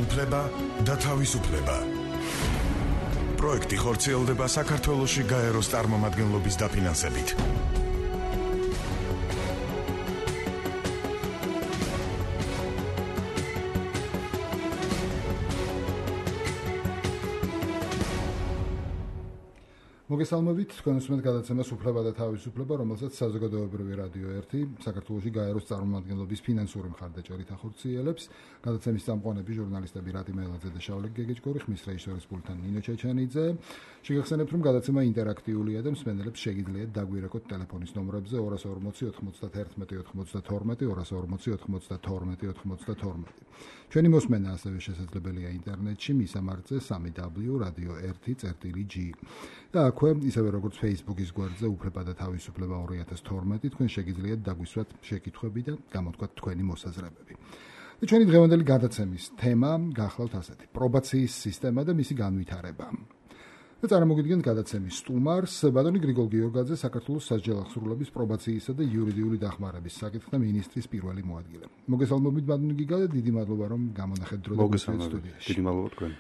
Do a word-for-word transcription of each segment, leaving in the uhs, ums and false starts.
უფლება და თავისუფლება. პროექტი ხორციელდება საქართველოში გაეროს წარმომადგენლობის დაფინანსებით. მოგესალმებით, თქვენ უსმენთ გადაცემას უფლება და თავისუფლება, რომელსაც საზოგადოებრივი რადიო ერთი საქართველოში გაეროს წარმომადგენლობის ფინანსური მხარდაჭერით ახორციელებს. გადაცემის წამყვანები ჟურნალისტები რატი მეილაძე და შავლე გეგეჭკორი, ხმის რეჟისორის პულტთან ნინო ჩეჩანიძე. შეგახსენებთ, რომ გადაცემა ინტერაქტიულია და მსმენელებს შეგიძლიათ დაგვირეკოთ ტელეფონის ნომრებზე ორას ორმოცი ოთხმოცდათერთმეტი ოთხმოცდათორმეტი, ორას ორმოცი ოთხმოცდათორმეტი ოთხმოცდათორმეტი. ჩვენი მოსმენა ასევე შესაძლებელია ინტერნეტში, მისამართზე სამი დაბლიუ რადიო ერთი წერტილი ჯი. და აქვე, ისევე როგორც Facebook-ის გვერდზე უფლება და თავისუფლება ორი ათას თორმეტი, თქვენ შეგიძლიათ დაგვისვათ შეკითხვები და გამოთქვათ თქვენი მოსაზრებები. და ჩვენი დღევანდელი გადაცემის თემა გახლავთ ასეთი: პრობაციის სისტემა და მისი განვითარება. და წარმოგიდგენთ გადაცემის სტუმარს, ბატონი გრიგოლ გიორგაძე, საქართველოს სასჯელ აღსრულების პრობაციისა და იურიდიული დახმარების საკითხთა მინისტრის პირველი მოადგილე. მოგესალმებით, ბატონი გიგა, და დიდი მადლობა, რომ გამონახეთ დრო და გვესვით სტუდიაში. დიდი მადლობა თქვენ.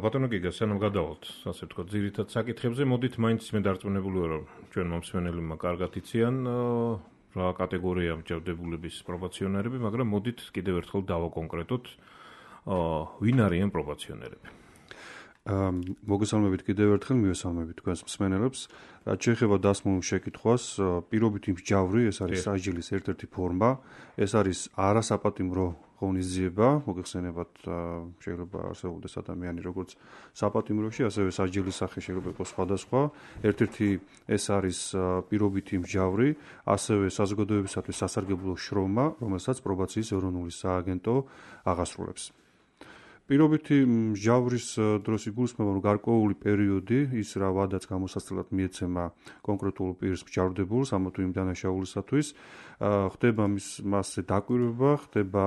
ბატონო გიგა, სანამ გადავალთ, ასე ვთქვათ, ძირითად საკითხებზე, მოდით მაინც მე დარწმუნებული ვარ, რომ ჩვენ მომსმენელებმა კარგად იციან რა კატეგორია მსჯავრდებულების პრობაციონერები, მაგრამ მოდით კიდევ ერთხელ დავაკონკრეტოთ, ვინ არიან პრობაციონერები. მოგესალმებით კიდევ ერთხელ, მივესალმებით თქვენს მსმენელებს. რაც შეეხება დასმულ შეკითხვას, პირობითი მსჯავრი, ეს არის სასჯელის ერთ-ერთი ფორმა, ეს არის არასაპატიმრო ღონისძიება, მოგეხსენებათ, შეიძლება არსებობდეს ადამიანი როგორც საპატიმროში, ასევე სასჯელის სახე შეიძლება იყოს სხვადასხვა. ერთ-ერთი ეს არის პირობითი მსჯავრი, ასევე საზოგადოებისათვის სასარგებლო შრომა, რომელსაც პრობაციის ეროვნული სააგენტო აღასრულებს. პირობითი მსჯავრის დროს იგულისხმება, რომ გარკვეული პერიოდი, ის რა ვადაც გამოსაცილად მიეცემა კონკრეტულ პირს მსჯავრდებულს ამა თუ იმ დანაშაულისათვის, ხდება მის მასზე დაკვირვება, ხდება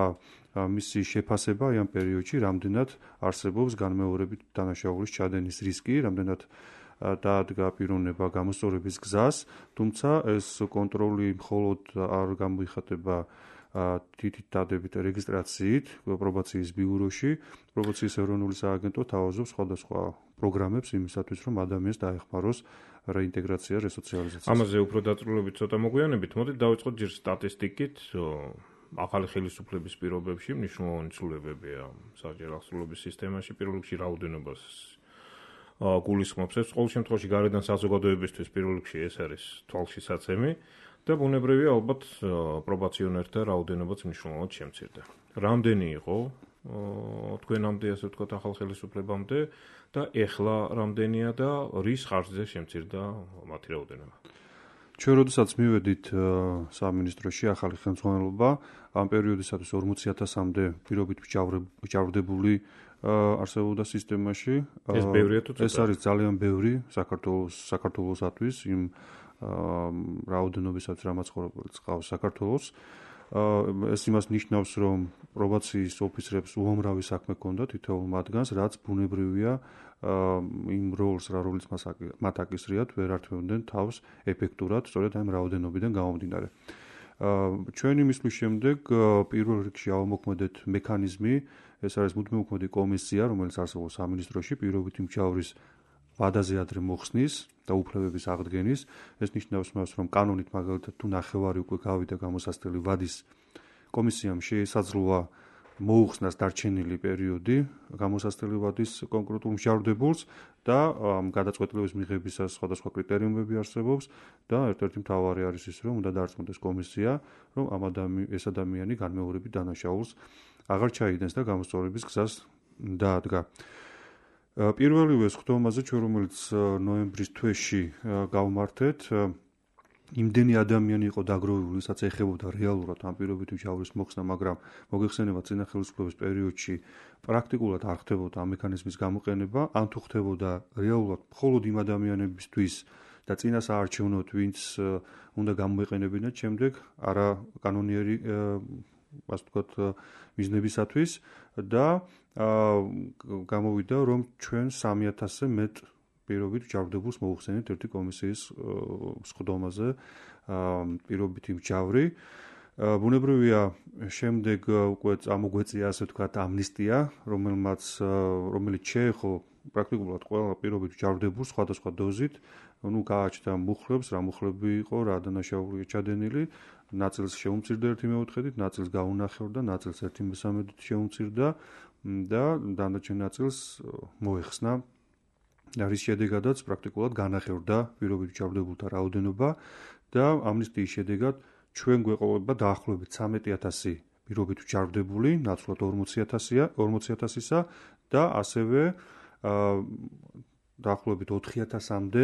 მისი შეფასება ამ პერიოდში, რამდენად არსებობს განმეორებით დანაშაულის ჩადენის რისკი, რამდენად დაადგა პიროვნება გამოსწორების გზას, თუმცა ეს კონტროლი მხოლოდ არ გამოიხატება თითით დადებით რეგისტრაციით პრობაციის ბიუროში. პრობაციის ეროვნული სააგენტო თავაზობს სხვადასხვა პროგრამებს იმისათვის, რომ ადამიანს დაეხმაროს რეინტეგრაცია, რესოციალიზაცია. ამაზე უფრო დაწვრილებით ცოტა მოგვიანებით, მოდით დავიწყოთ ჯერ სტატისტიკით. ახალი ხელისუფლების პირობებში მნიშვნელოვანი ცვლილებებია სასჯელ აღსრულების სისტემაში, პირველ რიგში რაოდენობას გულისხმობს. ეს ყოველ შემთხვევაში გარედან საზოგადოებისთვის პირველ რიგში ეს არის თვალშისაცემი. და ბუნებრივია, ალბათ პრობაციონერთა რაოდენობაც მნიშვნელოვნად შემცირდა. რამდენი იყო თქვენამდე, ასე ვთქვათ, ახალ ხელისუფლებამდე და ეხლა რამდენია და რის ხარჯზე შემცირდა მათი რაოდენობა? ჩვენ როდესაც მივედით სამინისტროში ახალი ხელმძღვანელობა, ამ პერიოდისათვის ორმოცი ათასამდე პირობით მსჯავრდებული არსებობდა სისტემაში. ეს ბევრია თუ ცოტა? ეს არის ძალიან ბევრი საქართველოს საქართველოსათვის იმ რაოდენობისაც რამაც ცხოვრობილს ყავს საქართველოს. ეს იმას ნიშნავს, რომ პრობაციის ოფიცრებს უამრავი საქმე ჰქონდათ თითოეულ მათგანს, რაც ბუნებრივია იმ როლს, რა როლიც მათ აკისრიათ, ვერ ართმევდნენ თავს ეფექტურად, სწორედ ამ რაოდენობიდან გამომდინარე. ჩვენი მისვლის შემდეგ პირველ რიგში ავამოქმედეთ მექანიზმი, ეს არის მუდმივმოქმედი კომისია, რომელიც არსებობს სამინისტროში პირობითი მსჯავრის ვადაზე ადრე მოხსნის და უფლებების აღდგენის. ეს ნიშნავს მას, რომ კანონით მაგალითად თუ ნახევარი უკვე გავიდა გამოსასწრელი ვადის კომისიამ შეესაძლოა მოუხსნას დარჩენილი პერიოდი გამოსასწრელი ვადის კონკრეტულ მსჯავრდებულს და გადაწყვეტილების მიღებისას სხვადასხვა კრიტერიუმები არსებობს და ერთ-ერთი მთავარი არის ის, რომ უნდა დარწმუნდეს კომისია, რომ ამ ეს ადამიანი განმეორებით დანაშაულს აღარ ჩაიდენს და გამოსწორების გზას დაადგა. პირველივე სხდომაზე, ჩვენ რომელიც ნოემბრის თვეში გავმართეთ, იმდენი ადამიანი იყო დაგროვებული, ვისაც ეხებოდა რეალურად ამ პირობითი მსჯავრის მოხსნა, მაგრამ მოგეხსენებათ, წინა ხელისუფლების პერიოდში პრაქტიკულად არ ხდებოდა ამ მექანიზმის გამოყენება, ან თუ ხდებოდა რეალურად მხოლოდ იმ ადამიანებისთვის და წინა საარჩევნოდ, ვინც უნდა გამოეყენებინათ შემდეგ არა კანონიერი ასე ვთქვათ მიზნებისათვის და გამოვიდა, რომ ჩვენ სამი ათასზე მეტ პირობით მსჯავრდებულს მოუხსენეთ ერთი კომისიის სხდომაზე პირობითი მსჯავრი. ბუნებრივია შემდეგ უკვე წამოგვეწია ასე ვთქვათ ამნისტია, რომელმაც რომელიც შეეხო პრაქტიკულად ყველა პირობით ჯავრდებულს სხვადასხვა დოზით, ну გააჩნდა მუხლებს, რა მუხლები იყო, რა დანაშაული ჩადენილი, ნაწილს შეუმცირდა ერთი მეოთხედით, ნაწილს გაუნახევრდა, ნაწილს ერთი მესამედით შეუმცირდა და დანარჩენ ნაწილს მოეხსნა. რის შედეგადაც პრაქტიკულად განახევრდა პირობით ჯავრდებულთა რაოდენობა და ამნისტიის შედეგად ჩვენ გვეყოლება დაახლოებით ცამეტი ათასი პირობით ჯავრდებული, ნაცვლად ორმოცი ათასისა და ასევე დაახლოებით ოთხი ათასამდე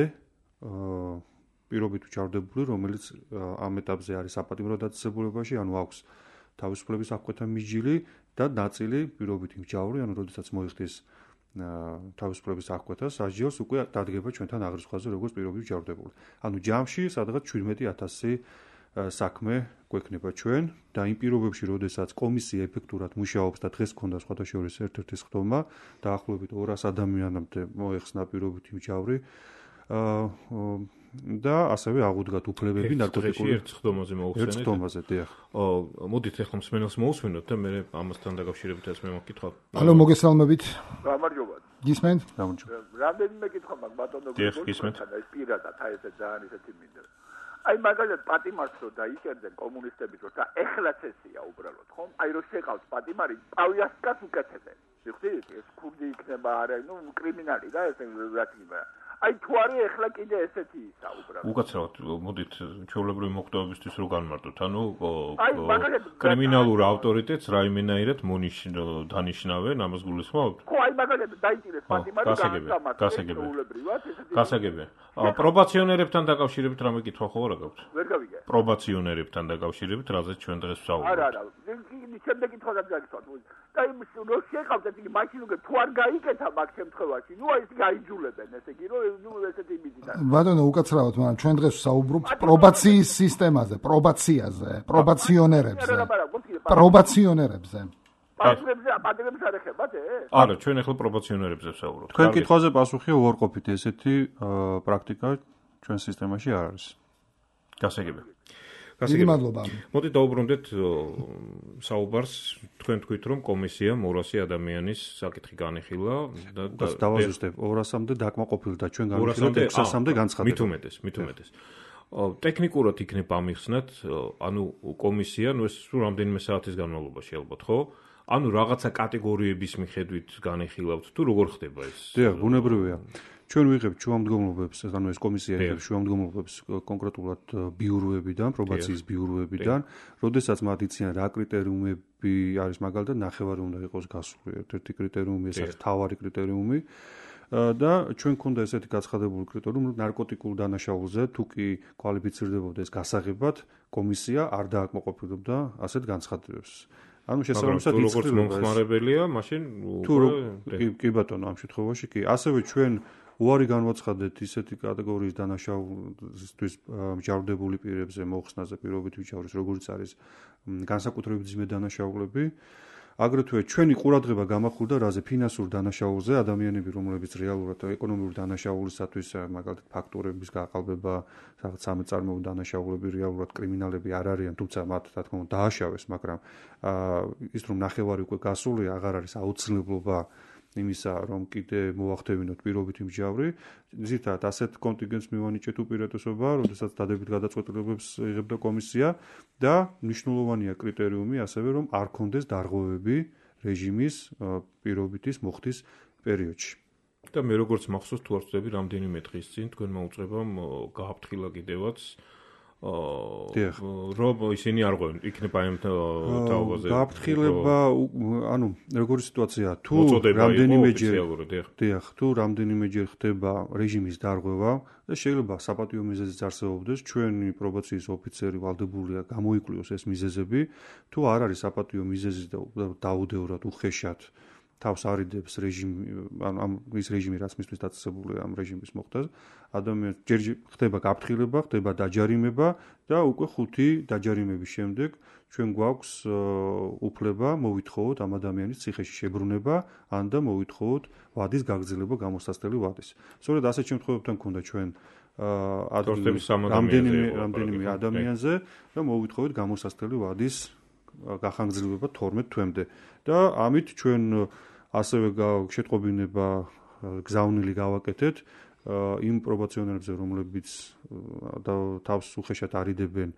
პირობით ჯავრდებული, რომელიც ამ ეტაპზე არის საპატიმრო დაწესებულებაში, ანუ აქვს თავისუფლების აღკვეთა მიჯილი და ნაწილი პირობით მჯავრი, ანუ როდესაც მოიხდის თავისუფლების აღკვეთა სასჯელს უკვე დადგება ჩვენთან აღრიცხვაზე როგორც პირობით ჯავრდებული. ანუ ჯამში სადღაც შვიდმეტი ათასი საქმე გვექნება ჩვენ და იმ პირობებში, როდესაც კომისია ეფექტურად მუშაობს და დღეს ქონდა სხვადასხვა ერთ-ერთი სხდომა, დაახლოებით ორას ადამიანამდე მოეხსნა პირობითი მჟავრი და ასევე აღუდგათ უფლებები ნარკოტიკული ერთ სხდომაზე მოუხსენეთ. ერთ სხდომაზე, დიახ. მოდით ახლა მსმენელს მოусვენოთ და მე ამასთან დაკავშირებითაც მე მოგკითხავ. ალო, მოგესალმებით. გამარჯობა. გისმენთ? გამარჯობა. რამდენიმე კითხვა მაქვს ბატონო გისმენთ. ეს პირადად აი ესე ძალიან ისეთი მინდა. აი მაგალითად პატიმარს რო დაიჭერდნენ კომუნისტები რო და ეხლაც ესია უბრალოდ ხომ? აი რო შეყავს პატიმარი, პავიასკას უკეთებენ. შეხდით? ეს ქურდი იქნება არა, ნუ კრიმინალი და ეს რაც იქნება. აი თუ არის ეხლა კიდე ესეთი ისა უბრალოდ. უკაცრავად, მოდით ჩვეულებრივი მოხდომებისთვის რო განმარტოთ, ანუ კრიმინალურ ავტორიტეტს რაიმენაირად მონიშნ დანიშნავენ, ამას გულისხმობთ? ხო, აი მაგალითად დაიჭირეს პატიმარი გასაგებია. გასაგებია. პრობაციონერებთან დაკავშირებით რამე კითხვა ხო არა გაქვთ? ვერ გავიგე. პრობაციონერებთან დაკავშირებით, რაზეც ჩვენ დღეს ვსაუბრობთ. არა, არა. შემდეგ კითხვას გაგიცხოთ. და იმ რო შეყავთ ესე იგი მაშინ უკვე თუ არ გაიკეთა მაგ შემთხვევაში, ნუ აი ეს გაიჯულებენ, ესე იგი რომ ნუ ესეთი იმითი. ბატონო, უკაცრავად, მაგრამ ჩვენ დღეს ვსაუბრობთ პრობაციის სისტემაზე, პრობაციაზე, პრობაციონერებზე. პრობაციონერებზე. პატრიოტებზე, პატრიოტებს არ ეხებათ ეს? არა, ჩვენ ახლა პრობაციონერებზე ვსაუბრობთ. თქვენ კითხვაზე პასუხია უარყოფით, ესეთი პრაქტიკა ჩვენ სისტემაში არ არის. გასაგებია. დიდი მადლობა. მოდით დაუბრუნდეთ საუბარს, თქვენ თქვით რომ კომისია ორასი ადამიანის საკითხი განიხილა და დავაზუსტებ ორასამდე დაკმაყოფილდა ჩვენ განიხილეთ ექვსასამდე განცხადება. მით უმეტეს, მით უმეტეს. ტექნიკურად იქნება ამიხსნათ, ანუ კომისია, ნუ ეს სულ რამდენიმე საათის განმავლობაში ალბათ, ხო? ანუ რაღაცა კატეგორიების მიხედვით განიხილავთ თუ როგორ ხდება ეს? დიახ, ბუნებრივია. ჩვენ ვიღებთ შუამდგომლობებს, ანუ ეს კომისია იღებს შუამდგომლობებს კონკრეტულად ბიუროებიდან, პრობაციის ბიუროებიდან, როდესაც მათ იციან რა კრიტერიუმები არის მაგალითად ნახევარი უნდა იყოს გასული, ერთ-ერთი კრიტერიუმი ეს არის თავარი კრიტერიუმი და ჩვენ გქონდა ესეთი გაცხადებული კრიტერიუმი, ნარკოტიკულ დანაშაულზე თუ კი კვალიფიცირდებოდა ეს გასაღებად, კომისია არ დააკმაყოფილებდა ასეთ განცხადებებს. ანუ შესაბამისად როგორც მომხმარებელია, მაშინ თუ კი ბატონო, ამ შემთხვევაში კი. ასევე ჩვენ უარი განვაცხადეთ ისეთი კატეგორიის დანაშაულისთვის მჯავრდებული პირებზე მოხსნაზე პირობითი მჯავრის, როგორც არის განსაკუთრებით ძიმე დანაშაულები. აგრეთვე ჩვენი ყურადღება გამახვილდა რაზე ფინანსურ დანაშაულზე, ადამიანები, რომლებიც რეალურად ეკონომიური დანაშაულისათვის, მაგალითად ფაქტურების გაყალბება, რაღაც სამეწარმეო დანაშაულები, რეალურად კრიმინალები არ არიან, თუმცა მათ რა თქმა უნდა დააშავეს, მაგრამ ის რომ ნახევარი უკვე გასული, აღარ არის აუცილებლობა იმისა, რომ კიდე მოახდევინოთ პირობითი მჟავრი, ზირთადად ასეთ კონტინგენტს მივანიჭეთ უპირატესობა, როდესაც დადებით გადაწყვეტილებებს იღებდა კომისია და მნიშვნელოვანია კრიტერიუმი ასევე, რომ არ ქონდეს დარღვევები რეჟიმის პირობითის მოხდის პერიოდში. და მე როგორც მახსოვს, თუ არ ვწდები, რამდენიმე დღის წინ თქვენმა უწყებამ გააფრთხილა კიდევაც რომ ისინი არ ღვევენ, იქნება ამ თაობაზე. გააფრთხილება, ანუ როგორი სიტუაციაა, თუ რამდენიმეჯერ დიახ, თუ რამდენიმეჯერ ხდება რეჟიმის დარღვევა და შეიძლება საპატიო მიზეზიც არსებობდეს, ჩვენი პრობაციის ოფიცერი ვალდებულია გამოიკვლიოს ეს მიზეზები, თუ არ არის საპატიო მიზეზი და დაუდევრად უხეშად თავს არიდებს რეჟიმი, ანუ ამ ის რეჟიმი რაც მისთვის დაწესებულია ამ რეჟიმის მოხდას, ადამიანს ჯერ ხდება გაფრთხილება, ხდება დაჯარიმება და უკვე ხუთი დაჯარიმების შემდეგ ჩვენ გვაქვს უფლება მოვითხოვოთ ამ ადამიანის ციხეში შებრუნება, ან და მოვითხოვოთ ვადის გაგრძელება გამოსასწრელი ვადის. სწორედ ასეთ შემთხვევებთან ქონდა ჩვენ რამდენიმე რამდენიმე ადამიანზე და მოვითხოვეთ გამოსასწრელი ვადის გახანგრძლივება თორმეტ თვემდე და ამით ჩვენ ასევე შეტყობინება გზავნილი გავაკეთეთ იმ პრობაციონერებზე, რომლებიც თავს უხეშად არიდებენ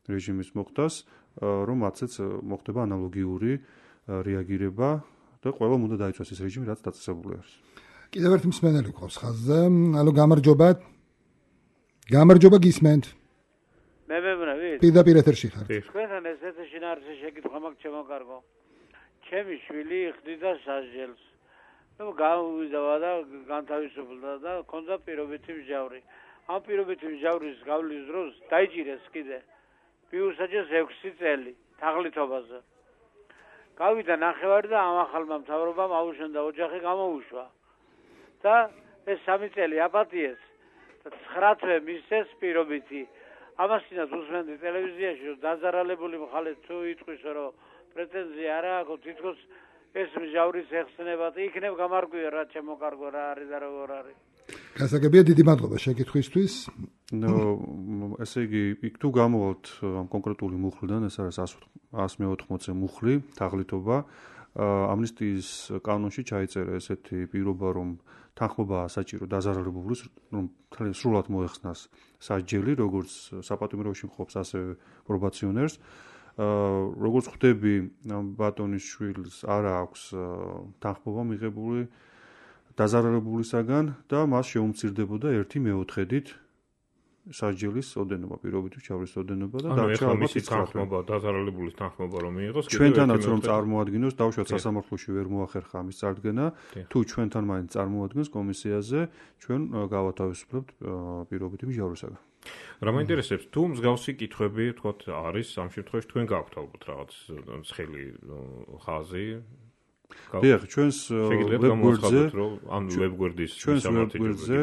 რეჟიმის მოხდას, რომ მათაც მოხდება ანალოგიური რეაგირება და ყველამ უნდა დაიცვას ეს რეჟიმი, რაც დაწესებული არის. კიდევ ერთი მსმენელი გვყავს ხაზზე. ალო, გამარჯობა. გამარჯობა გისმენთ. მე მეუბნებით. პირდაპირ ეთერში ხართ. თქვენთან ეს ეთერში ნარჩე შეკითხვა მაქვს ჩემო კარგო. ჩემი შვილი ხდიდა სასჯელს. ნუ გავიზავა და განთავისუფლდა და ქონდა პირობითი მსჯავრი. ამ პირობითი მსჯავრის გავლის დროს დაიჭირეს კიდე. მიუსაჯეს ექვსი წელი თაღლითობაზე. გავიდა ნახევარი და ამ ახალმა მთავრობამ აუშენდა ოჯახი გამოუშვა. და ეს სამი წელი აპატიეს და ცხრა თვე მისცეს პირობითი. ამასთანავე უსმენდი ტელევიზიაში რომ დაზარალებული მხარე თუ იტყვის რომ პრეტენზია არ აქვს თითქოს ეს მსჯავრის ეხსნება და იქნებ გამარკვია რა ჩემო კარგო რა არის და როგორ არის. გასაგებია, დიდი მადლობა შეკითხვისთვის. ნუ ესე იგი იქ თუ გამოვალთ ამ კონკრეტული მუხლიდან, ეს არის εκατს მეოთხმოცი მუხლი თაღლითობა. ამნისტიის კანონში ჩაიწერა ესეთი პირობა, რომ თანხმობაა საჭირო დაზარალებულის, რომ სრულად მოეხსნას სასჯელი, როგორც საპატიმროში მყოფს, ასევე პრობაციონერს. როგორც ხვდები, ბატონის შვილს არ აქვს თანხმობა მიღებული დაზარალებულისაგან და მას შეუმცირდებოდა ერთი მეოთხედით სასჯელის ოდენობა, პირობითი მსჯავრის ოდენობა და დარჩა ალბათ თანხმობა, დაზარალებულის თანხმობა რომ მიიღოს. ჩვენთანაც რომ წარმოადგენოს, დავუშვათ სასამართლოში ვერ მოახერხა ამის წარდგენა, თუ ჩვენთან მაინც წარმოადგენს კომისიაზე, ჩვენ გავათავისუფლებთ პირობითი მსჯავრისაგან. რა მაინტერესებს, თუ მსგავსი კითხვები, თქოთ, არის ამ შემთხვევაში თქვენ გაქვთ ალბათ რაღაც ცხელი ხაზი. დიახ, ჩვენს ვებგვერდზე, ან ვებგვერდის ჩვენს ვებგვერდზე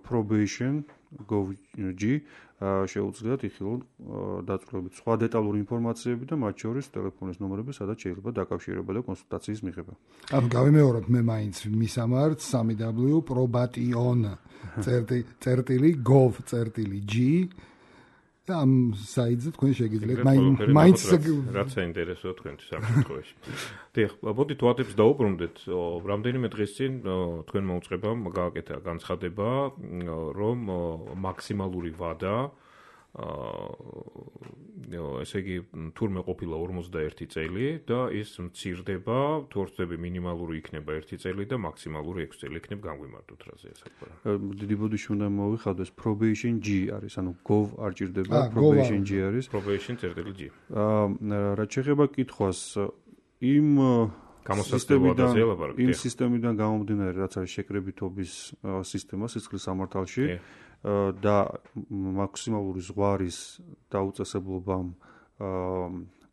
probation gov g შეუძლიათ იხილონ დაწვრილებით სხვა დეტალური ინფორმაციები და მათ შორის ტელეფონის ნომრები, სადაც შეიძლება დაკავშირება და კონსულტაციის მიღება. ანუ გავიმეორებ მე მაინც მისამართს სამი დაბლიუ probation წერტილი gov წერტილი g და ამ საიტზე თქვენ შეგიძლიათ მაინც რაც საინტერესოა თქვენთვის ამ შემთხვევაში. დიახ, მოდით ვადებს დაუბრუნდეთ. რამდენიმე დღის წინ თქვენ მოუწყებამ გააკეთა განცხადება, რომ მაქსიმალური ვადა ესე იგი თურმე ყოფილა ორმოცდაერთი წელი და ის მცირდება, თუ არ ვწდები მინიმალური იქნება ერთი წელი და მაქსიმალური ექვსი წელი იქნება განგვიმარტოთ რაზე ესაკურა. დიდი ბოდიში უნდა მოვიხადოს probation g არის, ანუ gov არ ჭირდება, probation g არის. probation წერტილი g. აა რაც შეეხება კითხვას, იმ გამოსასწრებოდან იმ სისტემიდან გამომდინარე, რაც არის შეკრებითობის სისტემა სისხლის სამართალში და მაქსიმალური ზღვარის დაუწესებლობამ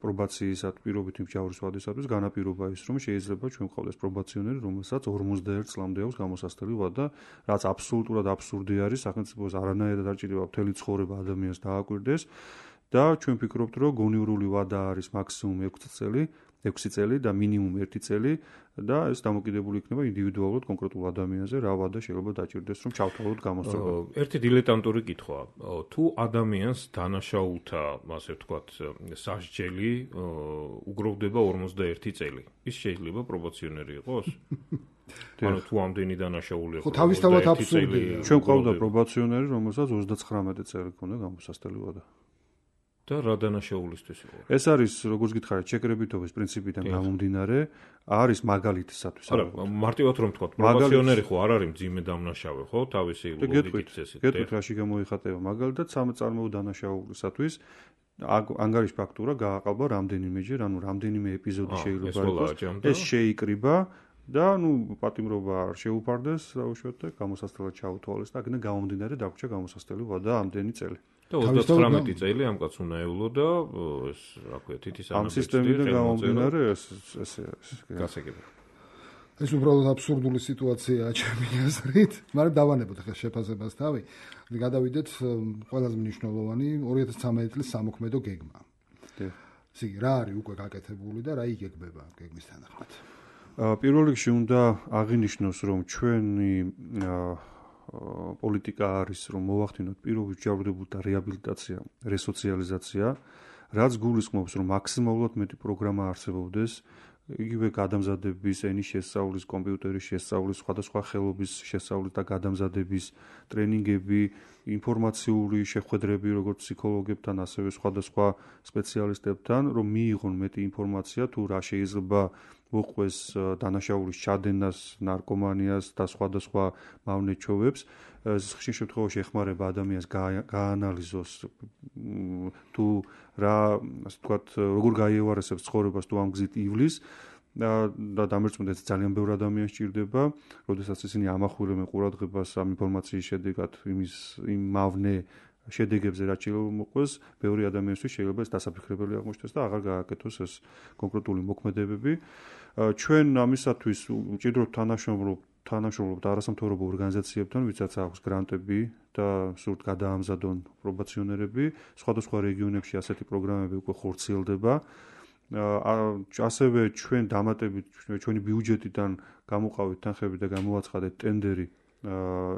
პრობაციისა პირობითი მსჯავრის ვადისათვის განაპირობა ის, რომ შეიძლება ჩვენ გვყავდეს პრობაციონერი, რომელსაც ორმოცდაერთ წლამდე აქვს გამოსასწრელი ვადა, რაც აბსოლუტურად აბსურდი არის, სახელმწიფოს არანაირად არ ჭირდება მთელი ცხოვრება ადამიანს დააკვირდეს და ჩვენ ვფიქრობთ, რომ გონივრული ვადა არის მაქსიმუმ ექვსი წელი, ექვსი წელი და მინიმუმ ერთი წელი და ეს დამოკიდებული იქნება ინდივიდუალურად კონკრეტულ ადამიანზე, რა ვადა შეიძლება დაჭირდეს, რომ ჩავთვალოთ გამოსწორება. ერთი დილეტანტური კითხვა. თუ ადამიანს დანაშაულთა, ასე ვთქვათ, სასჯელი უგროვდება ორმოცდაერთი წელი, ის შეიძლება პრობაციონერი იყოს? ანუ თუ ამდენი დანაშაული ხო, თავისთავად აბსურდია. ჩვენ ყავდა პრობაციონერი, რომელსაც ოცდაცხრამეტი წელი ჰქონდა გამოსასწრელი ვადა. და რა დანაშაულისთვის იყო? ეს არის, როგორც გითხარით, შეკრებითობის პრინციპიდან გამომდინარე, არის მაგალითისათვის. არა, მარტივად რომ თქვა, პრობაციონერი ხო არ არის მძიმე დამნაშავე, ხო, თავისი ლოგიკის წესით. გეტყვით, რაში გამოიხატება მაგალითად, სამწარმოო დანაშაულისათვის ანგარიშ ფაქტურა გააყალბა რამდენიმეჯერ, ანუ რამდენიმე ეპიზოდი შეიძლება იყოს. ეს შეიკრიბა და ნუ პატიმრობა არ შეუფარდეს, დაუშვათ და გამოსასწრელად ჩაუთვალეს და აქედან გამომდინარე დაგვრჩა გამოსასწრელი ვადა ამდენი წელი. და ოცდაცხრამეტი წელი ამ კაცს უნდა ევლო და ეს რა ქვია თითის ამ სისტემიდან გამომდინარე ეს ესე არის გასაგებია. ეს უბრალოდ აბსურდული სიტუაციაა ჩემი აზრით, მაგრამ დავანებოთ ახლა შეფასებას თავი. გადავიდეთ ყველაზე მნიშვნელოვანი ორი ათას ცხრამეტი წლის სამოქმედო გეგმა. დიახ. ისე რა არის უკვე გაკეთებული და რა იგეგმება გეგმის თანახმად? პირველ რიგში უნდა აღინიშნოს, რომ ჩვენი პოლიტიკა არის, რომ მოვახდინოთ პირობით ჯავრდებულთა რეაბილიტაცია, რესოციალიზაცია, რაც გულისხმობს, რომ მაქსიმალურად მეტი პროგრამა არსებობდეს, იგივე გადამზადების, ენის შესწავლის, კომპიუტერის შესწავლის, სხვადასხვა ხელობის შესწავლის და გადამზადების ტრენინგები, ინფორმაციული შეხვედრები, როგორც ფსიქოლოგებთან, ასევე სხვადასხვა სპეციალისტებთან, რომ მიიღონ მეტი ინფორმაცია თუ რა შეიძლება მოყვეს დანაშაულის ჩადენას, ნარკომანიას და სხვადასხვა მავნე ჩვევებს. ხშირ შემთხვევაში ეხმარება ადამიანს გაანალიზოს თუ რა, ასე ვთქვათ, როგორ გაიევარესებს ცხოვრებას თუ ამ გზით ივლის და დამერწმუნდეს ძალიან ბევრი ადამიანი სჭირდება, როდესაც ისინი ამახვილებენ ყურადღებას ამ ინფორმაციის შედეგად იმის იმ მავნე შედეგებზე რაც შეიძლება მოყვეს, ბევრი ადამიანისთვის შეიძლება ეს დასაფიქრებელი აღმოჩნდეს და აღარ გააკეთოს ეს კონკრეტული მოქმედებები. ჩვენ ამისათვის ვჭირდებთ თანამშრომლობ თანამშრომლობთ არასამთავრობო ორგანიზაციებთან, ვისაც აქვს გრანტები და სურთ გადაამზადონ პრობაციონერები. სხვადასხვა რეგიონებში ასეთი პროგრამები უკვე ხორციელდება. ასევე ჩვენ დამატებით ჩვენი ბიუჯეტიდან გამოყავით თანხები და გამოაცხადეთ ტენდერი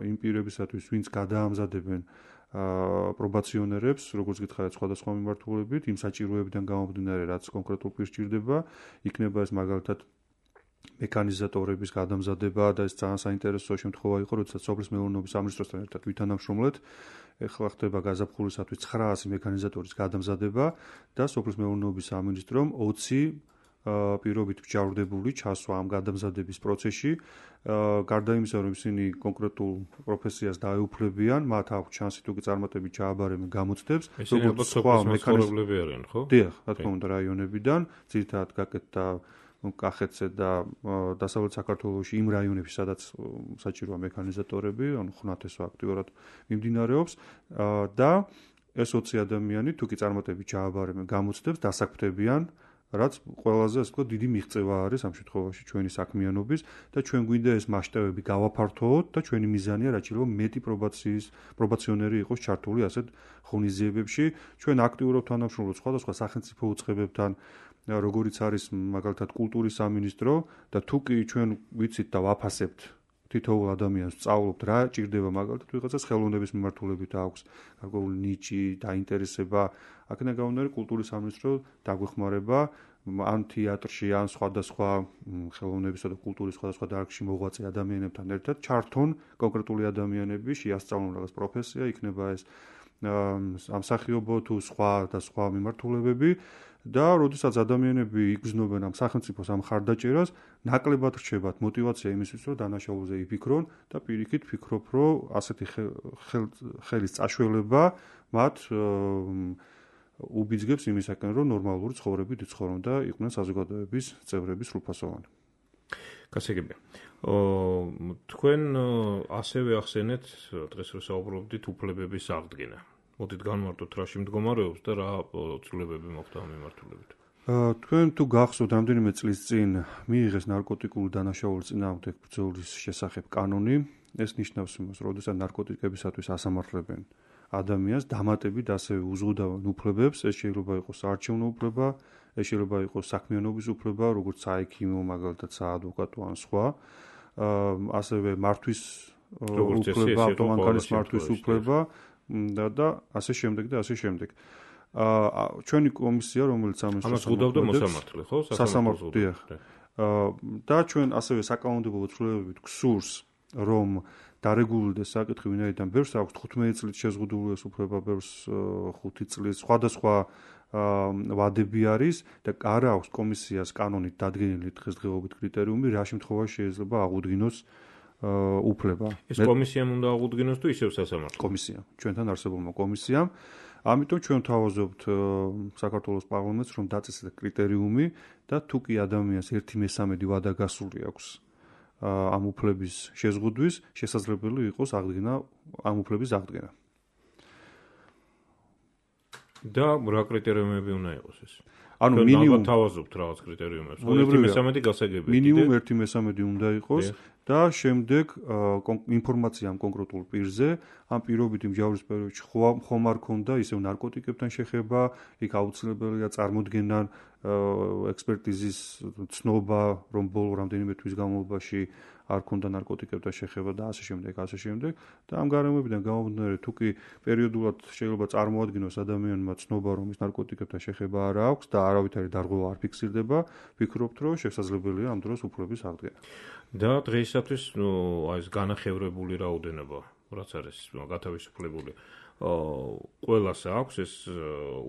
იმ პირებისათვის, ვინც გადაამზადებენ პრობაციონერებს, როგორც გითხარით, სხვადასხვა მიმართულებით, იმ საჭიროებიდან გამომდინარე, რაც კონკრეტულ პირს სჭირდება, იქნება ეს მაგალითად მექანიზატორების გადამზადება და ეს ძალიან საინტერესო შემთხვევა იყო, როდესაც სოფლის მეურნეობის სამინისტროსთან ერთად ვითანამშრომლეთ. ეხლა ხდება გაზაფხულისათვის ცხრაასი მექანიზატორის გადამზადება და სოფლის მეურნეობის სამინისტრომ ოცი პირობით მსჯავრდებული ჩასვა ამ გადამზადების პროცესში. გარდა იმისა, რომ ისინი კონკრეტულ პროფესიას დაეუფლებიან, მათ აქვს შანსი თუ კი წარმატებით ჩააბარებენ გამოცდებს, როგორც სხვა მექანიზმები არიან, ხო? დიახ, რა თქმა უნდა, რაიონებიდან, ძირითადად გაკეთდა კახეთზე და დასავლეთ საქართველოში იმ რაიონებში, სადაც საჭიროა მექანიზატორები, ანუ ხნათესვა აქტიურად მიმდინარეობს და ეს ოცი ადამიანი თუ კი წარმატებით ჩააბარებენ გამოცდებს, დასაქმდებიან, რაც ყველაზე ასე ვთქვათ დიდი მიღწევა არის ამ შემთხვევაში ჩვენი საქმიანობის და ჩვენ გვინდა ეს მასშტაბები გავაფართოვოთ და ჩვენი მიზანია რაც შეიძლება მეტი პრობაციის პრობაციონერი იყოს ჩართული ასეთ ღონისძიებებში. ჩვენ აქტიურად თანამშრომლობთ სხვადასხვა სახელმწიფო უწყებებთან, როგორიც არის მაგალითად კულტურის სამინისტრო და თუ კი ჩვენ ვიცით და ვაფასებთ თითოეულ ადამიანს სწავლობთ რა ჭირდება მაგალითად ვიღაცას ხელოვნების მიმართულებით აქვს გარკვეული ნიჭი, დაინტერესება, აქედან გამომდინარე კულტურის სამინისტრო დაგვეხმარება ან თეატრში, ან სხვადასხვა ხელოვნებისა და კულტურის სხვადასხვა დარგში მოღვაწე ადამიანებთან ერთად ჩართონ კონკრეტული ადამიანები, შეასწავლონ რაღაც პროფესია, იქნება ეს ამსახიობო თუ სხვა და სხვა მიმართულებები. და როდესაც ადამიანები იგრძნობენ ამ სახელმწიფოს ამ ხარდაჭერას, ნაკლებად რჩებათ мотиваცია იმისთვის, რომ დანაშაულზე იფიქრონ და პირიქით ფიქრობ, რომ ასეთი ხელის წაშველება მათ უბიძგებს იმისაკენ, რომ ნორმალური ცხოვრებით იცხოვრონ და იყვნენ საზოგადოების წევრები სრულფასოვანი. გასაგებია. თქვენ ასევე ახსენეთ დღეს რო საუბრობდით უფლებების აღდგენა. მოდით განმარტოთ რაში მდგომარეობს და რა ცვლილებები მოხდა ამ მიმართულებით. თქვენ თუ გახსოვთ, რამდენიმე წლის წინ მიიღეს ნარკოტიკული დანაშაულის წინააღმდეგ ბრძოლის შესახებ კანონი. ეს ნიშნავს იმას, რომ როდესაც ნარკოტიკებისათვის ასამართლებენ ადამიანს, დამატებით ასევე უზღუდავენ უფლებებს, ეს შეიძლება იყოს საარჩევნო უფლება, ეს შეიძლება იყოს საქმიანობის უფლება, როგორც საექიმო, მაგალითად საადვოკატო ან სხვა. ასევე მართვის უფლება, ავტომანქანის მართვის უფლება და და ასე შემდეგ და ასე შემდეგ. აა ჩვენი კომისია, რომელიც ამას ზღუდავდა მოსამართლე, ხო? სასამართლო, დიახ. აა და ჩვენ ასევე საკანონმდებლო ცვლილებებით გსურს, რომ დარეგულირდეს საკითხი, ვინაიდან ბევრს აქვს თხუთმეტი წლით შეზღუდული ეს უფლება, ბევრს ხუთი წლის, სხვადასხვა ვადები არის და არა აქვს კომისიას კანონით დადგენილი დღესდღეობით კრიტერიუმი, რა შემთხვევაში შეიძლება აღუდგინოს უფლება. ეს კომისიამ უნდა აღუდგინოს თუ ისევ სასამართლო? კომისია, ჩვენთან არსებულმა კომისიამ. ამიტომ ჩვენ ვთავაზობთ საქართველოს პარლამენტს, რომ დაწესდეს კრიტერიუმი და თუ კი ადამიანს ერთი მესამედი ვადა გასული აქვს ამ უფლების შეზღუდვის, შესაძლებელი იყოს აღდგენა ამ უფლების აღდგენა. და რა კრიტერიუმები უნდა იყოს ეს? ანუ მინიმუმ თავაზობთ რაღაც კრიტერიუმებს. ერთი მესამედი გასაგებია. მინიმუმ ერთი მესამედი უნდა იყოს და შემდეგ ინფორმაცია ამ კონკრეტულ პირზე, ამ პირობითი მსჯავრების პერიოდში ხომ არ ქონდა ისევ ნარკოტიკებთან შეხება, იქ აუცილებელია წარმოდგენან ექსპერტიზის ცნობა, რომ ბოლო რამდენიმე თვის განმავლობაში არ ქონდა ნარკოტიკებთან შეხება და ასე შემდეგ, ასე შემდეგ და ამ გარემოებიდან გამომდინარე თუ კი პერიოდულად შეიძლება წარმოადგინოს ადამიანმა ცნობა რომ ის ნარკოტიკებთან შეხება არ აქვს და არავითარი დარღვევა არ ფიქსირდება, ვფიქრობთ რომ შესაძლებელია ამ დროს უფლების აღდგენა. და დღეისათვის ნუ აი ეს განახევრებული რაოდენობა რაც არის გათავისუფლებული ყველას აქვს ეს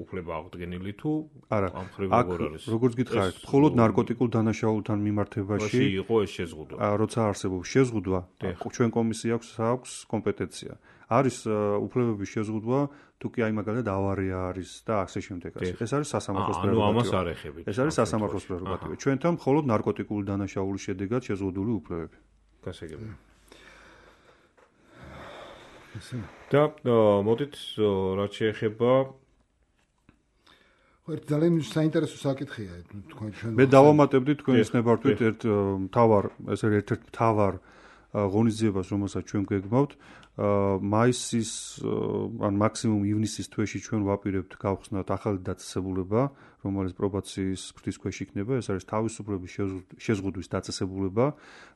უფლება აღდგენილი თუ არა ამ ხრივ არის როგორც გითხარით მხოლოდ ნარკოტიკულ დანაშაულთან მიმართებაში იყო ეს შეზღუდვა როცა არსებობს შეზღუდვა ჩვენ კომისია აქვს აქვს კომპეტენცია არის უფლებების შეზღუდვა თუ კი აი მაგალითად ავარია არის და ასე შემდეგ ეს არის სასამართლოს პრეროგატივა ანუ ამას არ ეხებით ეს არის სასამართლოს პრეროგატივა ჩვენთან მხოლოდ ნარკოტიკული დანაშაულის შედეგად შეზღუდული უფლებები გასაგებია და მოდით რაც შეეხება ხო ძალიან საინტერესო საკითხია თქვენ ჩვენ მე დავამატებდი თქვენის ნებართვით ერთ მთავარ ესე ერთ-ერთ მთავარ ღონისძიებას რომელსაც ჩვენ გვეგმავთ მაისის ან მაქსიმუმ ივნისის თვეში ჩვენ ვაპირებთ გავხსნათ ახალი დაწესებულება რომელიც პრობაციის ფრთის ქვეშ იქნება ეს არის თავისუფლების შეზღუდვის დაწესებულება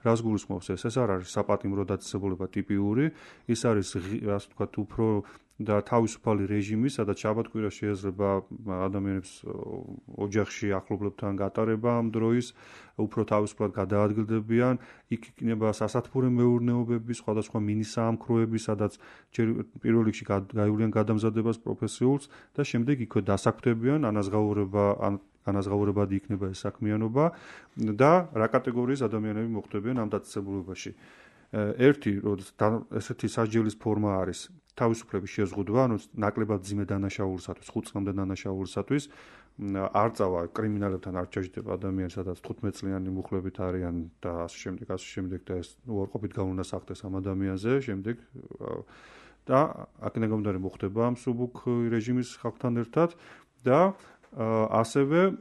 რას გულისხმობს ეს ეს არ არის საპატიმრო დაწესებულება ტიპიური ის არის ასე ვთქვათ უფრო და თავისუფალი რეჟიმი სადაც შაბათ-კვირას შეიძლება ადამიანებს ოჯახში ახლობლებთან გატარება ამ დროის უფრო თავისუფლად გადაადგილდებიან იქ იქნება სასათბურე მეურნეობები სხვადასხვა მინისაამქროები სადაც პირველ რიგში გაივლიან გადამზადებას პროფესიულს და შემდეგ იქვე დასაქმდებიან ანაზღაურება ან განაზღაურებადი იქნება ეს საქმიანობა და რა კატეგორიის ადამიანები მოხვდებიან ამ დაწესებულებაში ერთი ესეთი სასჯელის ფორმა არის თავისუფლების შეზღუდვა ანუ ნაკლებად ძიმე დანაშაულისათვის ხუთ წლამდე დანაშაულისათვის არ წავა კრიმინალებთან არ ჩაჯდება ადამიანი სადაც თხუთმეტ წლიანი მუხლებით არიან და ასე შემდეგ ასე შემდეგ და ეს უარყოფით გაუნასახდეს ამ ადამიანზე შემდეგ და აქედან გამომდინარე მოხდება ამ სუბუქ რეჟიმის ხალხთან ერთად და ასევე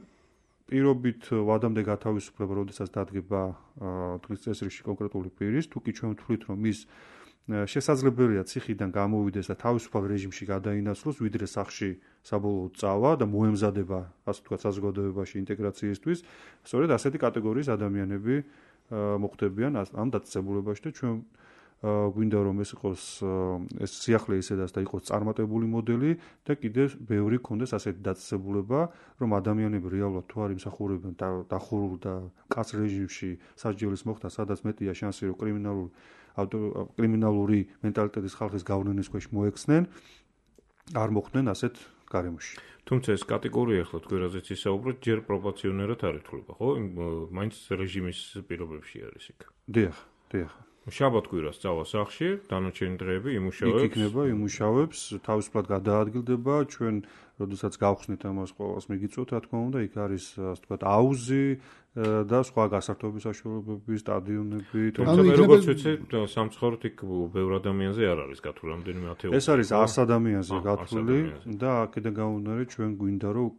პირობით ვადამდე გათავისუფლება, როდესაც დადგება დღის წესრიგში კონკრეტული პირის, თუ კი ჩვენ ვთვლით, რომ ის შესაძლებელია ციხიდან გამოვიდეს და თავისუფალ რეჟიმში გადაინაცვლოს, ვიდრე სახლში საბოლოოდ წავა და მოემზადება, ასე ვთქვათ, საზოგადოებაში ინტეგრაციისთვის, სწორედ ასეთი კატეგორიის ადამიანები მოხვდებიან ამ დაწესებულებაში და ჩვენ გვინდა რომ ეს იყოს ეს სიახლე ისედაც და იყოს წარმატებული მოდელი და კიდევ ბევრი ქონდეს ასეთი დაწესებულება, რომ ადამიანები რეალურად თუ არ იმსახურებენ დახურულ და კაც რეჟიმში სასჯელის მოხდა, სადაც მეტია შანსი რომ კრიმინალური კრიმინალური მენტალიტეტის ხალხის გავლენის ქვეშ მოექცნენ, არ მოხდნენ ასეთ გარემოში. თუმცა ეს კატეგორია ახლა თქვენ რაზეც ისაუბრეთ, ჯერ პროპორციონერად არ ითვლება, ხო? მაინც რეჟიმის პირობებში არის იქ. დიახ, დიახ. შაბათ-კვირას წავა სახლში, დანარჩენი დღეები იმუშავებს. იქ იქნება, იმუშავებს, თავისუფლად გადაადგილდება, ჩვენ როდესაც გავხსნით ამას ყოველს მიგიწვევთ, რა თქმა უნდა, იქ არის, ასე ვთქვათ, აუზი და სხვა გასართობების საშუალებები, სტადიონები. თუმცა მე როგორც ვიცი, სამცხაურით იქ ბევრ ადამიანზე არ არის გათვლილი, რამდენიმე ათეული. ეს არის ას ადამიანზე გათვლილი და აქედან გამომდინარე, ჩვენ გვინდა რომ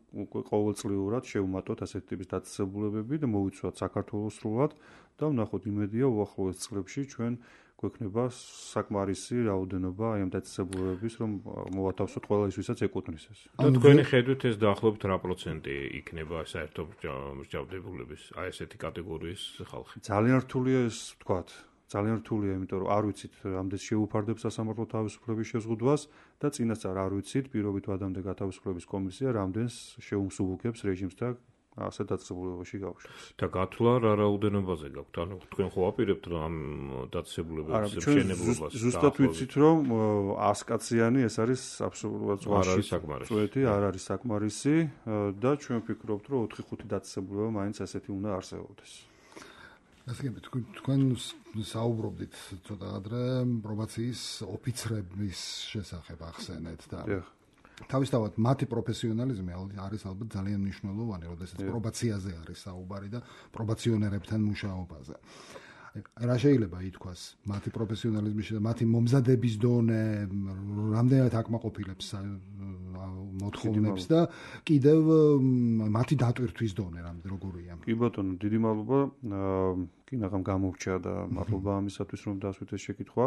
ყოველწლიურად შევმატოთ ასეთი ტიპის დაწესებულებები და მოვიცვათ საქართველოს სრულად და ვნახოთ იმედია უახლოეს წლებში ჩვენ გვექნება საკმარისი რაოდენობა აი ამ დაწესებულებების რომ მოვათავსოთ ყველა ის ვისაც ეკუთვნის ეს. და თქვენი ხედვით ეს დაახლოებით რა პროცენტი იქნება საერთო მსჯავრდებულების აი ესეთი კატეგორიის ხალხი? ძალიან რთულია ეს ვთქვათ. ძალიან რთულია, იმიტომ რომ არ ვიცით რამდენს შეუფარდებს სასამართლო თავისუფლების შეზღუდვას და წინასწარ არ ვიცით პირობით ვადამდე გათავისუფლების კომისია რამდენს შეუმსუბუქებს რეჟიმს და ასე დაწესებულებაში გავუშვებს. და გათვლა რა რაოდენობაზე გაქვთ? ანუ თქვენ ხო აპირებთ ამ დაწესებულებების მშენებლობას? ზუსტად ვიცით რომ ას კაციანი ეს არის აბსოლუტურად ზღვაში წვეთი, არ არის საკმარისი და ჩვენ ვფიქრობთ რომ ოთხი ხუთი დაწესებულება მაინც ასეთი უნდა არსებობდეს. ასე თქვენ თქვენ საუბრობდით ცოტა ადრე პრობაციის ოფიცრების შესახებ ახსენეთ და თავისთავად მათი პროფესიონალიზმი არის ალბათ ძალიან მნიშვნელოვანი, როდესაც პრობაციაზე არის საუბარი და პრობაციონერებთან მუშაობაზე. რა შეიძლება ითქვას მათი პროფესიონალიზმის და მათი მომზადების დონე, რამდენად აკმაყოფილებს მოთხოვნებს და კიდევ მათი დატვირთვის დონე როგორია? კი ბატონო, დიდი მადლობა. კინაღამ გამოვრჩა და მადლობა ამისათვის რომ დასვით ეს შეკითხვა.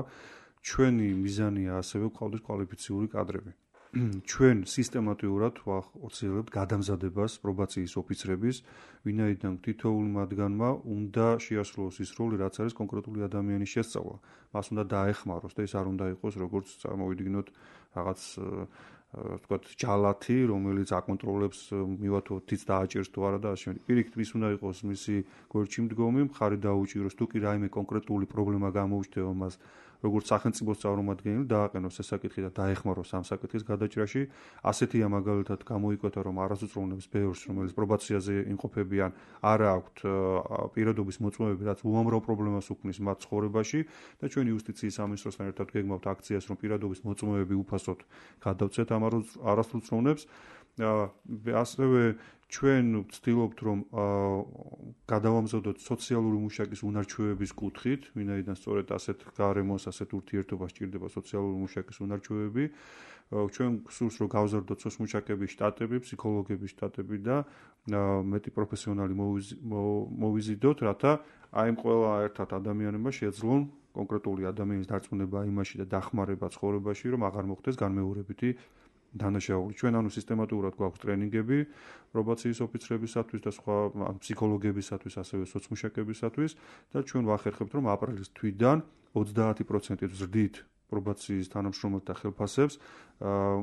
ჩვენი მიზანია ასევე გვყავდეს კვალიფიციური კადრები. ჩვენ სისტემატიურად ვახორციელებთ გადამზადებას პრობაციის ოფიცრების, ვინაიდან თითოეულ მათგანმა უნდა შეასრულოს ის როლი, რაც არის კონკრეტული ადამიანის შესწავლა. მას უნდა დაეხმაროს და ეს არ უნდა იყოს როგორც წარმოვიდგინოთ რაღაც ვთქვათ ჯალათი, რომელიც აკონტროლებს მივათო თიც დააჭერს თუ არა და ასე შემდეგ. პირიქით ის უნდა იყოს მისი გვერდში მდგომი, მხარი დაუჭიროს, თუ კი რაიმე კონკრეტული პრობლემა გამოუჩნდება მას როგორც სახელმწიფოს წარმომადგენელი დააყენოს ეს საკითხი და დაეხმაროს ამ საკითხის გადაჭრაში. ასეთია მაგალითად გამოიკვეთა რომ არასოწლოვნების ბევრს, რომელიც პრობაციაზე იმყოფებიან, არ აქვთ პირადობის მოწმობები, რაც უამრავ პრობლემას უქმნის მათ ცხოვრებაში და ჩვენი იუსტიციის სამინისტროსთან ერთად გეგმავთ აქციას, რომ პირადობის მოწმობები უფასოდ გადავწეთ ამ არასოწლოვნებს. ასევე ჩვენ ვცდილობთ რომ გადავამზადოთ სოციალური მუშაკის უნარჩვევების კუთხით, ვინაიდან სწორედ ასეთ გარემოს, ასეთ ურთიერთობას სჭირდება სოციალური მუშაკის უნარჩვევები. ჩვენ გსურს რომ გავზარდოთ სოციმუშაკების შტატები, ფსიქოლოგების შტატები და მეტი პროფესიონალი მოვიზიდოთ, რათა აი ამ ყველა ერთად ადამიანებმა შეეძლონ კონკრეტული ადამიანის დარწმუნება იმაში და დახმარება ცხოვრებაში, რომ აღარ მოხდეს განმეორებითი დანაშაული. ჩვენ ანუ სისტემატურად გვაქვს ტრენინგები პრობაციის ოფიცრებისათვის და სხვა ფსიქოლოგებისათვის, ასევე სოციმუშაკებისათვის და ჩვენ ვახერხებთ რომ აპრილის თვიდან ოცდაათი პროცენტით ვზრდით პრობაციის თანამშრომელთა ხელფასებს.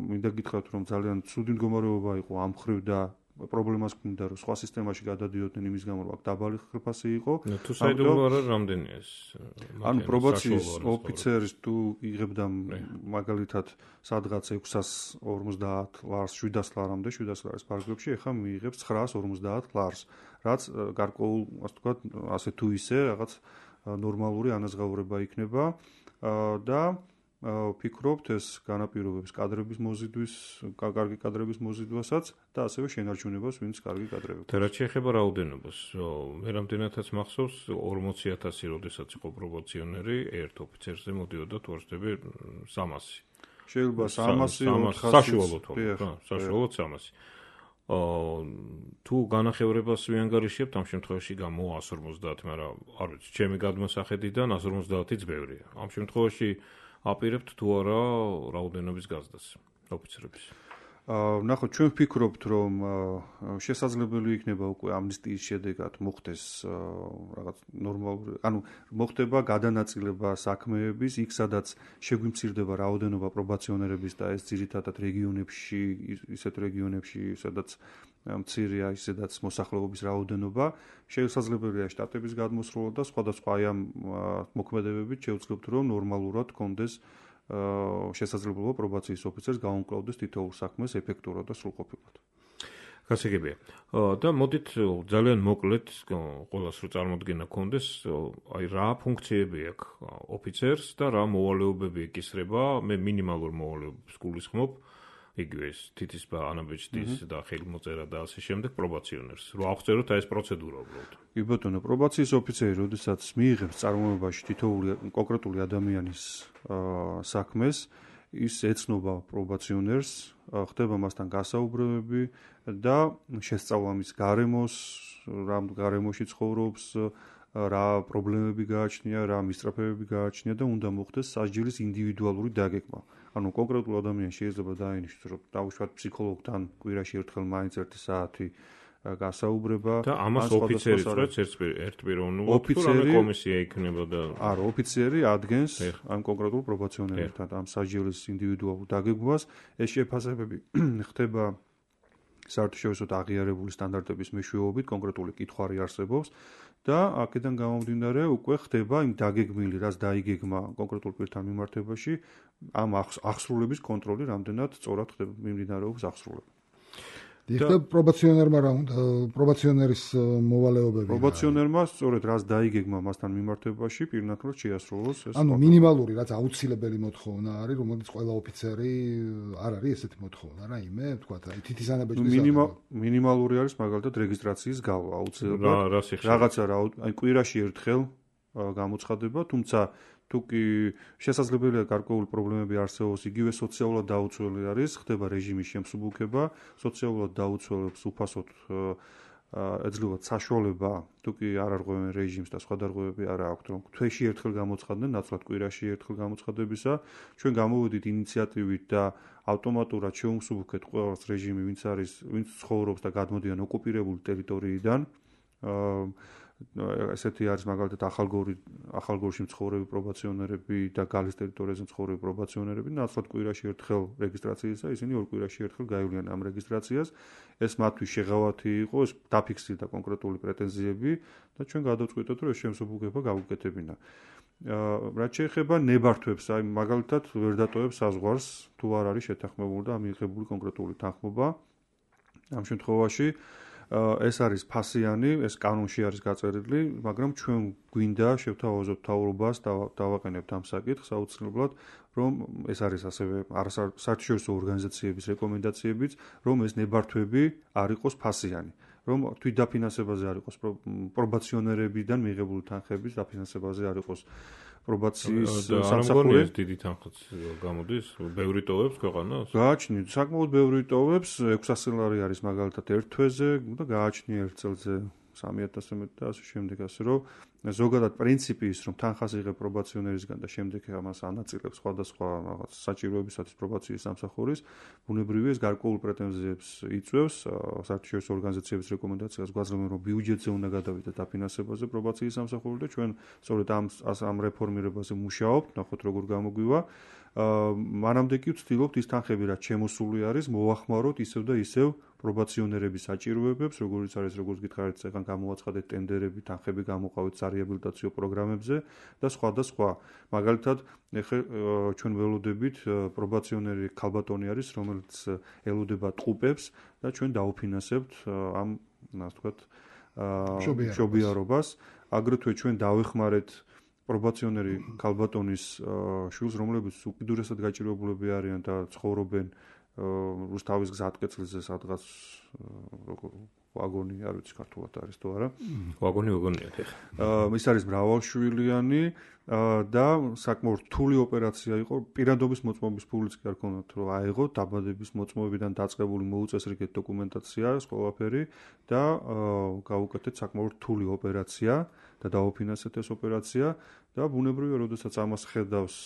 მინდა გითხრათ რომ ძალიან ცუდი მდგომარეობა იყო ამ მხრივ და პრობლემას გვინდა რომ სხვა სისტემაში გადადიოდნენ იმის გამო რომ აქ დაბალი ხელფასი იყო. თუ საიდუმლო არა რამდენია ეს? ანუ პრობაციის ოფიცერის თუ იღებდა მაგალითად სადღაც ექვსას ორმოცდაათ ლარს, შვიდას ლარამდე, შვიდას ლარის ფარგლებში, ეხლა მიიღებს ცხრაას ორმოცდაათ ლარს, რაც გარკვეულ, ასე ვთქვათ, ასე თუ ისე რაღაც ნორმალური ანაზღაურება იქნება და ვფიქრობთ ეს განაპირობებს კადრების მოზიდვის, კარგი კადრების მოზიდვასაც და ასევე შენარჩუნებას, ვინც კარგი კადრები. და რაც შეეხება რაოდენობას, მე რამდენადაც მახსოვს ორმოცი ათასი როდესაც იყო პრობაციონერი, ერთ ოფიცერზე მოდიოდა თუ არ ვცდები სამასი. შეიძლება სამასი, საშუალოდ, საშუალოდ სამასი. თუ განახევრებას ვიანგარიშებთ, ამ შემთხვევაში გამოვა ას ორმოცდაათი, მაგრამ არ ვიცი, ჩემი გადმოსახედიდან ას ორმოცდაათიც ბევრია. ამ შემთხვევაში აპირებთ თუ არა რაოდენობის გაზრდას ოფიცრების. ნახოთ, ჩვენ ვფიქრობთ, რომ შესაძლებელი იქნება უკვე ამნისტიის შედეგად მოხდეს რაღაც ნორმალური, ანუ მოხდება გადანაწილება საქმეების, იქ სადაც შეგვიმცირდება რაოდენობა პრობაციონერების და ეს ძირითადად რეგიონებში, ისეთ რეგიონებში, სადაც მცირეა, ისედაც მოსახლეობის რაოდენობა, შესაძლებელია შტატების გადმოსროლა და სხვადასხვა აი ამ მოქმედებებით შევძლებთ, რომ ნორმალურად კონდეს შესაძლებლობა პრობაციის ოფიცერს გაუმკლავდეს თითოეულ საქმეს ეფექტურად და სრულყოფილად. გასაგებია. და მოდით ძალიან მოკლედ ყველას რო წარმოდგენა გქონდეს, აი რა ფუნქციები აქვს ოფიცერს და რა მოვალეობები ეკისრება, მე მინიმალურ მოვალეობებს გულისხმობ, იგივე ეს თითის ანაბეჭდის და ხელმოწერა და ასე შემდეგ პრობაციონერს. რო აღწეროთ აი ეს პროცედურა უბრალოდ. კი ბატონო, პრობაციის ოფიცერი, როდესაც მიიღებს წარმოებაში თითოეული კონკრეტული ადამიანის საქმეს, ის ეცნობა პრობაციონერს, ხდება მასთან გასაუბრებები და შესწავლა მის გარემოს, რა გარემოში ცხოვრობს, რა პრობლემები გააჩნია, რა მისწრაფებები გააჩნია და უნდა მოხდეს სასჯელის ინდივიდუალური დაგეგმა. ანუ კონკრეტულ ადამიანს შეიძლება დაინიშნოს, რომ დაუშვათ ფსიქოლოგთან კვირაში ერთხელ მაინც ერთი საათი გასაუბრება და ამას ოფიცერი წვეთს ერთპიროვნულად თუ რამე კომისია იქნება და არა, ოფიცერი ადგენს ამ კონკრეტულ პრობაციონერთან ამ სასჯელის ინდივიდუალურ დაგეგმვას. ეს შეფასებები ხდება საერთაშორისო აღიარებული სტანდარტების მეშვეობით, კონკრეტული კითხვარი არსებობს და აქედან გამომდინარე უკვე ხდება იმ დაგეგმილი, რაც დაიგეგმა კონკრეტულ პირთან მიმართებაში, ამ აღსრულების კონტროლი რამდენად სწორად ხდება, მიმდინარეობს აღსრულება. და პრობაციონერმა რა უნდა, პრობაციონერის მოვალეობები. პრობაციონერმა სწორედ რაც დაიგეგმა მასთან მიმართებაში, პირნათლად შეასრულოს ეს. ანუ მინიმალური, რაც აუცილებელი მოთხოვნა არის, რომელიც ყველა ოფიცერი არ არის ესეთი მოთხოვნა, რაიმე, ვთქვათ, აი თითის ანაბეჭდის. მინიმალური არის მაგალითად რეგისტრაციის გავლა, აუცილებლად. რაღაცა რა, აი კვირაში ერთხელ გამოცხადება, თუმცა თუ კი შესაძლებელია გარკვეული პრობლემები არსებობს, იგივე სოციალურად დაუცველი არის, ხდება რეჟიმის შემსუბუქება, სოციალურად დაუცველებს უფასოდ ეძლევათ საშუალება, თუ კი არ არღვევენ რეჟიმს და სხვა დარღვევები არ აქვთ, რომ თვეში ერთხელ გამოცხადდნენ, ნაცვლად კვირაში ერთხელ გამოცხადებისა, ჩვენ გამოვედით ინიციატივით და ავტომატურად შევუმსუბუქეთ ყველას რეჟიმი, ვინც არის, ვინც ცხოვრობს და გადმოდიან ოკუპირებული ტერიტორიიდან. ესეთი არის მაგალითად ახალგორი ახალგორში მცხოვრები პრობაციონერები და გალის ტერიტორიაზე მცხოვრები პრობაციონერები ნაცვლად კვირაში ერთხელ რეგისტრაციისა, ისინი ორ კვირაში ერთხელ გაივლიან ამ რეგისტრაციას. ეს მათთვის შეღავათი იყო, ეს დაფიქსირდა კონკრეტული პრეტენზიები და ჩვენ გადავწყვიტეთ, რომ ეს შემსუბუქება გავუკეთებინა. რაც შეეხება ნებართვებს, აი მაგალითად ვერ დატოვებს საზღვარს, თუ არ არის შეთანხმებული და მიღებული კონკრეტული თანხმობა. ამ შემთხვევაში ეს არის ფასიანი, ეს კანონში არის გაწერილი, მაგრამ ჩვენ გვინდა შევთავაზოთ მთავრობას და დავაყენებთ ამ საკითხს აუცილებლად, რომ ეს არის ასევე საერთაშორისო ორგანიზაციების რეკომენდაციებიც, რომ ეს ნებართვები არ იყოს ფასიანი, რომ თვითდაფინანსებაზე არ იყოს პრობაციონერებიდან მიღებული თანხების დაფინანსებაზე არ იყოს პრობაციის სამსახური. ეს დიდი თანხაც გამოდის, ბევრი ტოვებს ქვეყანას? გააჩნიათ, საკმაოდ ბევრი ტოვებს, ექვსასი ლარი არის მაგალითად ერთ თვეზე და გააჩნია ერთ წელზე სამი ათასი მეტი და ასე შემდეგ, ასე რომ ზოგადად პრინციპი ის, რომ თანხას იღებ პრობაციონერისგან და შემდეგ ამას ანაწილებს სხვადასხვა რაღაც საჭიროებისათვის პრობაციის სამსახურის, ბუნებრივია ეს გარკვეულ პრეტენზიებს იწვევს, საერთაშორისო ორგანიზაციების რეკომენდაციას გვაძლევენ, რომ ბიუჯეტზე უნდა გადავიდეთ დაფინანსებაზე პრობაციის სამსახური და ჩვენ სწორედ ამ ამ რეფორმირებაზე მუშაობთ, ნახოთ როგორ გამოგვივა. მანამდე კი ვცდილობთ ის თანხები, რაც შემოსული არის, მოვახმაროთ ისევ და ისევ პრობაციონერების საჭიროებებს, როგორც არის, როგორც გითხარით, წეგან გამოაცხადეთ ტენდერები, თანხები გამოყავით სარეაბილიტაციო პროგრამებზე და სხვა და სხვა. მაგალითად, ეხლა ჩვენ ველოდებით პრობაციონერი ქალბატონი არის, რომელიც ელოდება ტყუპებს და ჩვენ დაუფინანსებთ ამ, ასე ვთქვათ, მშობიარობას. აგრეთვე ჩვენ დავეხმარეთ პრობაციონერი ქალბატონის შვილს, რომლებიც უკიდურესად გაჭირვებულები არიან და ცხოვრობენ რუსთავის გზატკეცილზე სადღაც ვაგონი, არ ვიცი ქართულად არის თუ არა. ვაგონი ვაგონია ხა. ის არის მრავალშვილიანი და საკმაოდ რთული ოპერაცია იყო. პირადობის მოწმობის ფულიც კი არ ქონდათ, რომ აეღოთ დაბადების მოწმობიდან დაწყებული მოუწესრიგეთ დოკუმენტაცია, ყველაფერი და გავუკეთეთ საკმაოდ რთული ოპერაცია და დაუფინანსეთ ეს ოპერაცია და ბუნებრივია, როდესაც ამას ხედავს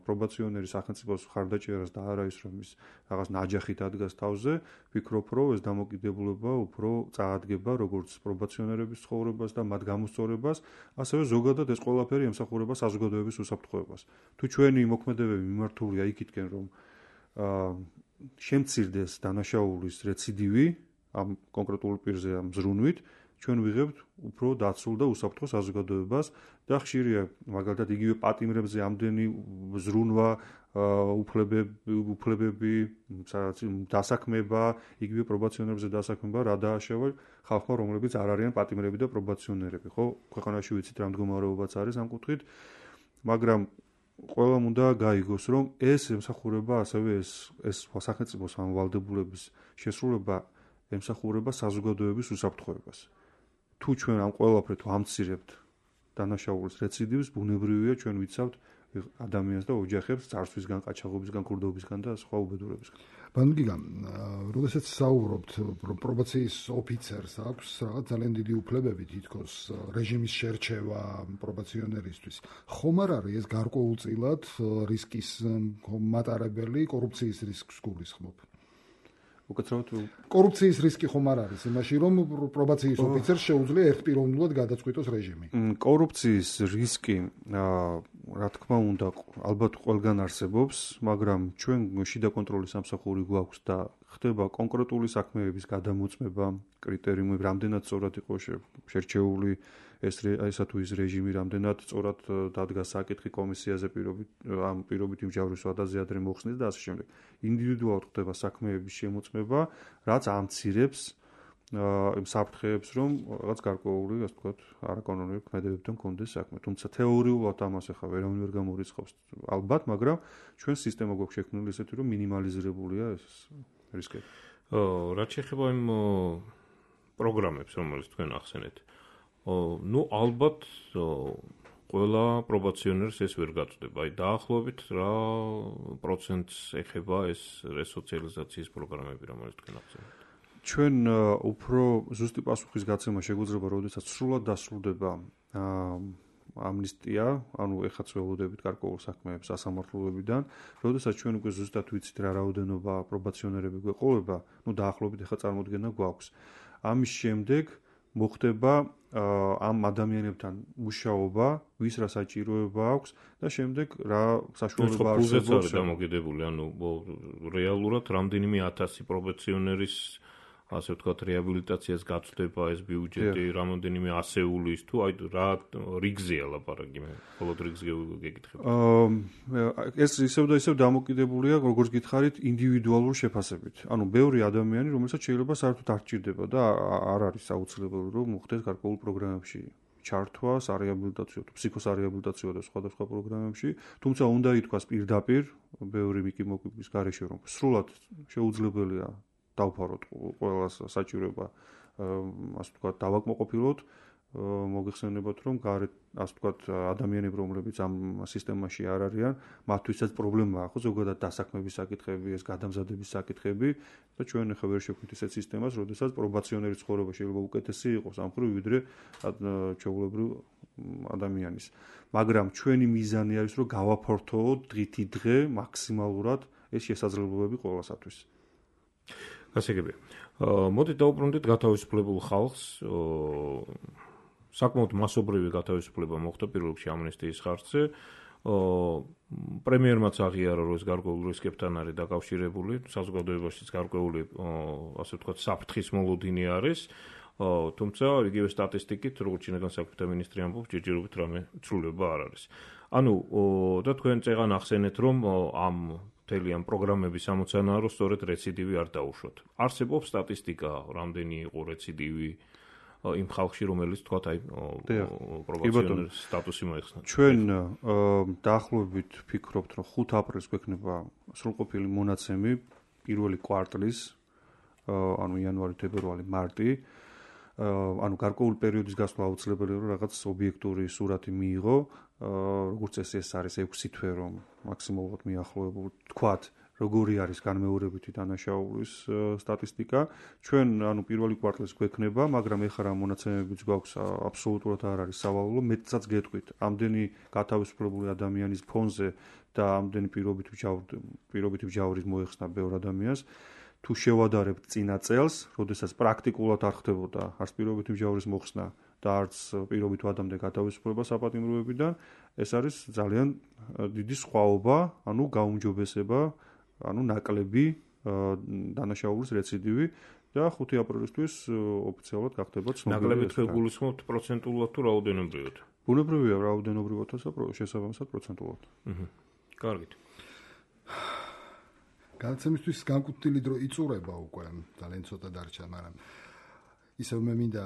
პრობაციონერი სახელმწიფოს ხარდაჭერას და არა ის, რომ ის რაღაც ნაჯახით ადგას თავზე, ვფიქრობ, რომ ეს დამოკიდებულება უფრო წაადგება როგორც პრობაციონერების ცხოვრებას და მათ გამოსწორებას, ასევე ზოგადად ეს ყველაფერი ემსახურება საზოგადოების უსაფრთხოებას. თუ ჩვენი მოქმედებები მიმართულია იქითკენ, რომ შემცირდეს დანაშაულის რეციდივი ამ კონკრეტულ პირზე ამ ზრუნვით, ჩვენ ვიღებთ უფრო დაცულ და უსაფრთხო საზოგადოებას და ხშირია მაგალითად იგივე პატიმრებზე ამდენი ზრუნვა, უფლებები, უფლებები, დასაქმება, იგივე პრობაციონერებზე დასაქმება, რა დააშავა ხალხმა, რომლებიც არ არიან პატიმრები და პრობაციონერები, ხო? ქვეყანაში ვიცით რა მდგომარეობაც არის ამ კუთხით, მაგრამ ყველამ უნდა გაიგოს, რომ ეს ემსახურება ასევე ეს ეს სახელმწიფოს ამ ვალდებულების შესრულება ემსახურება საზოგადოების უსაფრთხოებას. თუ ჩვენ ამ ყველაფრით ვამცირებთ დანაშაულის რეციდივს, ბუნებრივია ჩვენ ვიცავთ ადამიანს და ოჯახებს წარსვლისგან, ყაჩაღობისგან, კურდობისგან და სხვა უბედურებისგან. ბანკიგან, როდესაც საუბრობთ, პრობაციის ოფიცერს აქვს რაღაც ძალიან დიდი უფლებები თითქოს რეჟიმის შერჩევა პრობაციონერისთვის. ხომ არ არის ეს გარკვეულწილად რისკის მატარებელი, კორუფციის რისკს გულისხმობ? უკაცრავად კორუფციის რისკი ხომ არ არის იმაში, რომ პრობაციის ოფიცერს შეუძლია ერთპიროვნულად გადაწყვიტოს რეჟიმი. კორუფციის რისკი, რა თქმა უნდა, ალბათ ყველგან არსებობს, მაგრამ ჩვენ შიდა კონტროლის სამსახური გვაქვს და ხდება კონკრეტული საქმეების გადამოწმება, კრიტერიუმები, რამდენად სწორად იყო შერჩეული ეს ესა თუ ის რეჟიმი, რამდენად სწორად დადგა საკითხი კომისიაზე პირობით ამ პირობით იმჟავრის ვადაზე ადრე მოხსნეს და ასე შემდეგ. ინდივიდუალურად ხდება საქმეების შემოწმება, რაც ამცირებს იმ საფრთხეებს, რომ რაღაც გარკვეული, ასე ვთქვათ, არაკანონური ქმედებებთან კონდეს საქმე. თუმცა თეორიულად ამას ახლა ვერავინ ვერ გამორიცხავს ალბათ, მაგრამ ჩვენ სისტემა გვაქვს შექმნილი ესეთი, რომ მინიმალიზირებულია ეს რისკები. ო, რაც შეეხება იმ პროგრამებს, რომელიც თქვენ ახსენეთ. ну ალბათ ყველა პრობაციონერს ეს ვერ გაწდება. აი დაახლოებით რა პროცენტს ეხება ეს რესოციალიზაციის პროგრამები, რომელიც თქვენ ახსენეთ? ჩვენ უფრო ზუსტი პასუხის გაცემა შეგვიძლია, როდესაც სრულად დასრულდება ამნისტია, ანუ ეხაც ველოდებით გარკვეულ საქმეებს სასამართლოებიდან, როდესაც ჩვენ უკვე ზუსტად ვიცით რა რაოდენობა პრობაციონერები გვეყოლება, ну დაახლოებით ეხა წარმოდგენა გვაქვს. ამის შემდეგ მოხდება ამ ადამიანებთან მუშაობა, ვის რა საჭიროება აქვს და შემდეგ რა საშუალება არსებობს დამოკიდებული, ანუ რეალურად რამდენიმე ათასი პრობაციონერის ასე ვთქვათ, რეაბილიტაციას გაწდება ეს ბიუჯეტი, რამოდენიმე ასეულის თუ აი რა რიგზეა ლაპარაკი, მე მხოლოდ რიგზე გეკითხები. აა ეს ისევ და ისევ დამოკიდებულია, როგორც გითხარით, ინდივიდუალურ შეფასებით. ანუ ბევრი ადამიანი, რომელსაც შეიძლება საერთოდ არ ჭირდება და არ არის აუცილებელი, რომ მოხდეს გარკვეულ პროგრამებში ჩართვა, სარეაბილიტაციო თუ ფსიქოსარეაბილიტაციო და სხვადასხვა პროგრამებში, თუმცა უნდა ითქვას პირდაპირ, ბევრი მიკიმოკიპის გარეშე, რომ სრულად შეუძლებელია დავფაროთ ყველას საჭიროება, ასე ვთქვათ, დავაკმაყოფილოთ, მოგეხსენებათ, რომ გარეთ, ასე ვთქვათ, ადამიანები, რომლებიც ამ სისტემაში არ არიან, მათთვისაც პრობლემაა, ხო, ზოგადად დასაქმების საკითხები, ეს გადამზადების საკითხები და ჩვენ ახლა ვერ შევხვდით ესეთ სისტემას, როდესაც პრობაციონერის ცხოვრება შეიძლება უკეთესი იყოს ამ მხრივ, ვიდრე ჩვეულებრივ ადამიანის. მაგრამ ჩვენი მიზანი არის, რომ გავაფართოვოთ დღითი დღე მაქსიმალურად ეს შესაძლებლობები ყველასათვის. გასაგებია. მოდით დავუბრუნდეთ გათავისუფლებულ ხალხს. საკმაოდ მასობრივი გათავისუფლება მოხდა პირველ რიგში ამნისტიის ხარჯზე. პრემიერმაც აღიარა, რომ ეს გარკვეულ რისკებთან არის დაკავშირებული, საზოგადოებაშიც გარკვეული, ასე ვთქვათ, საფრთხის მოლოდინი არის. თუმცა იგივე სტატისტიკით, როგორც შინაგან საქმეთა მინისტრი ამბობს, ჯერჯერობით რამე ცვლილება არ არის. ანუ და თქვენ წეგან ახსენეთ, რომ ამ მთელი ამ პროგრამების ამოცანაა, რომ სწორედ რეციდივი არ დაუშვათ. არსებობს სტატისტიკა, რამდენი იყო რეციდივი იმ ხალხში, რომელიც თქვათ აი პრობაციონერის სტატუსი მოიხსნა. ჩვენ დაახლოებით ვფიქრობთ, რომ ხუთი აპრილს გვექნება სრულყოფილი მონაცემი პირველი კვარტლის, ანუ იანვარი, თებერვალი, მარტი. ანუ გარკვეული პერიოდის გასვლა აუცილებელია, რომ რაღაც ობიექტური სურათი მიიღო, როგორც ეს ეს არის ექვსი თვე, რომ მაქსიმალურად მიახლოებული თქვათ, როგორი არის განმეორებითი დანაშაულის სტატისტიკა. ჩვენ ანუ პირველი კვარტლის გვექნება, მაგრამ ეხლა რა მონაცემებიც გვაქვს, აბსოლუტურად არ არის სავალალო, მეტსაც გეტყვით, ამდენი გათავისუფლებული ადამიანის ფონზე და ამდენი პირობით პირობით ვჯავრის მოეხსნა ბევრ ადამიანს. თუ შევადარებთ წინა წელს, როდესაც პრაქტიკულად არ ხდებოდა არც პირობითი ვჯავრის მოხსნა და არც პირობით ვადამდე გათავისუფლება საპატიმროებიდან, ეს არის ძალიან დიდი სხვაობა, ანუ გაუმჯობესება, ანუ ნაკლები დანაშაულის რეციდივი და ხუთი აპრილისთვის ოფიციალურად გახდება ცნობილი. ნაკლები თქვენ გულისხმობთ პროცენტულად თუ რაოდენობრივად? ბუნებრივია რაოდენობრივად და შესაბამისად პროცენტულად. აჰა. კარგით. განაცემისთვის განკუთვნილი დრო იწურება უკვე, ძალიან ცოტა დარჩა, მაგრამ ისევ მე მინდა,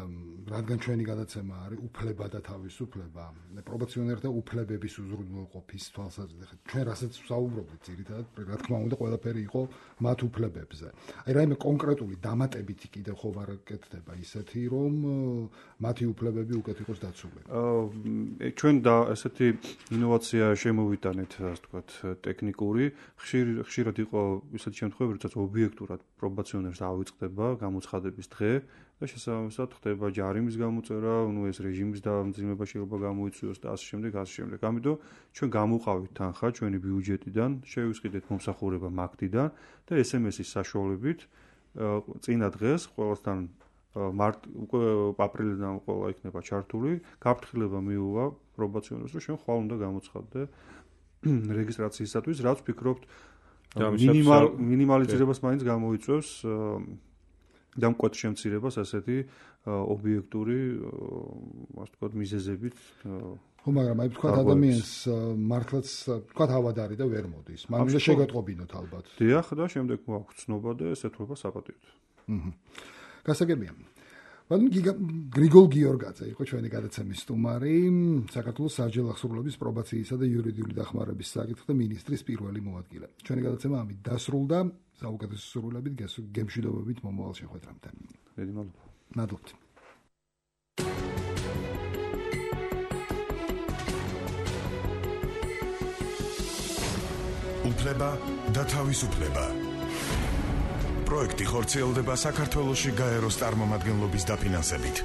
რადგან ჩვენი გადაცემა არის უფლება და თავისუფლება, პრობაციონერთა უფლებების უზრუნველყოფის თვალსაზრისით. ჩვენ რასაც ვსაუბრობთ, ძირითადად, რა თქმა უნდა, ყველაფერი იყო მათ უფლებებზე. აი რაიმე კონკრეტული დამატებითი კიდევ ხო არ გეკეთდება ისეთი, რომ მათი უფლებები უკეთ იყოს დაცული. აა ჩვენ და ესეთი ინოვაცია შემოვიტანეთ, ასე ვთქვათ, ტექნიკური. ხშირ ხშირად იყო ისეთი შემთხვევები, როდესაც ობიექტურად პრობაციონერს ავიწყდება გამოცხადების დღე და შესაბამისად ხდება ჯარიმის გამოწერა, ნუ ეს რეჟიმის დამძიმება შეიძლება გამოიწვიოს და ასე შემდეგ, ასე შემდეგ. ამიტომ ჩვენ გამოვყავით თანხა ჩვენი ბიუჯეტიდან, შევისყიდეთ მომსახურება მაგდიდან და ეს ემ ეს-ის საშუალებით წინა დღეს ყველასთან მარტ უკვე აპრილიდან ყველა იქნება ჩართული, გაფრთხილება მიუვა პრობაციონერს, რომ ჩვენ ხვალ უნდა გამოცხადდე რეგისტრაციისათვის, რაც ვფიქრობთ მინიმალიზებას მაინც გამოიწვევს და მკვეთ შემცირებას ასეთი ობიექტური, ასე ვთქვათ, მიზეზებით. ხო, მაგრამ აი ვთქვათ ადამიანს მართლაც ვთქვათ ავადარი და ვერ მოდის. მაგრამ შეგატყობინოთ ალბათ. დიახ, და შემდეგ მოაქვს ცნობა და ეს ეთქვა საპატიოდ. აჰა. გასაგებია. ბატონ გრიგოლ გიორგაძე იყო ჩვენი გადაცემის სტუმარი, საქართველოს საჯარო აღსრულების პრობაციისა და იურიდიული დახმარების საკითხთა მინისტრის პირველი მოადგილე. ჩვენი გადაცემა ამით დასრულდა. საუკეთესო სურვილებით, გემშვიდობებით მომავალ შეხვედრამდე. დიდი მადლობა. მადლობთ. უფლება და თავისუფლება. პროექტი ხორციელდება საქართველოში გაეროს წარმომადგენლობის დაფინანსებით.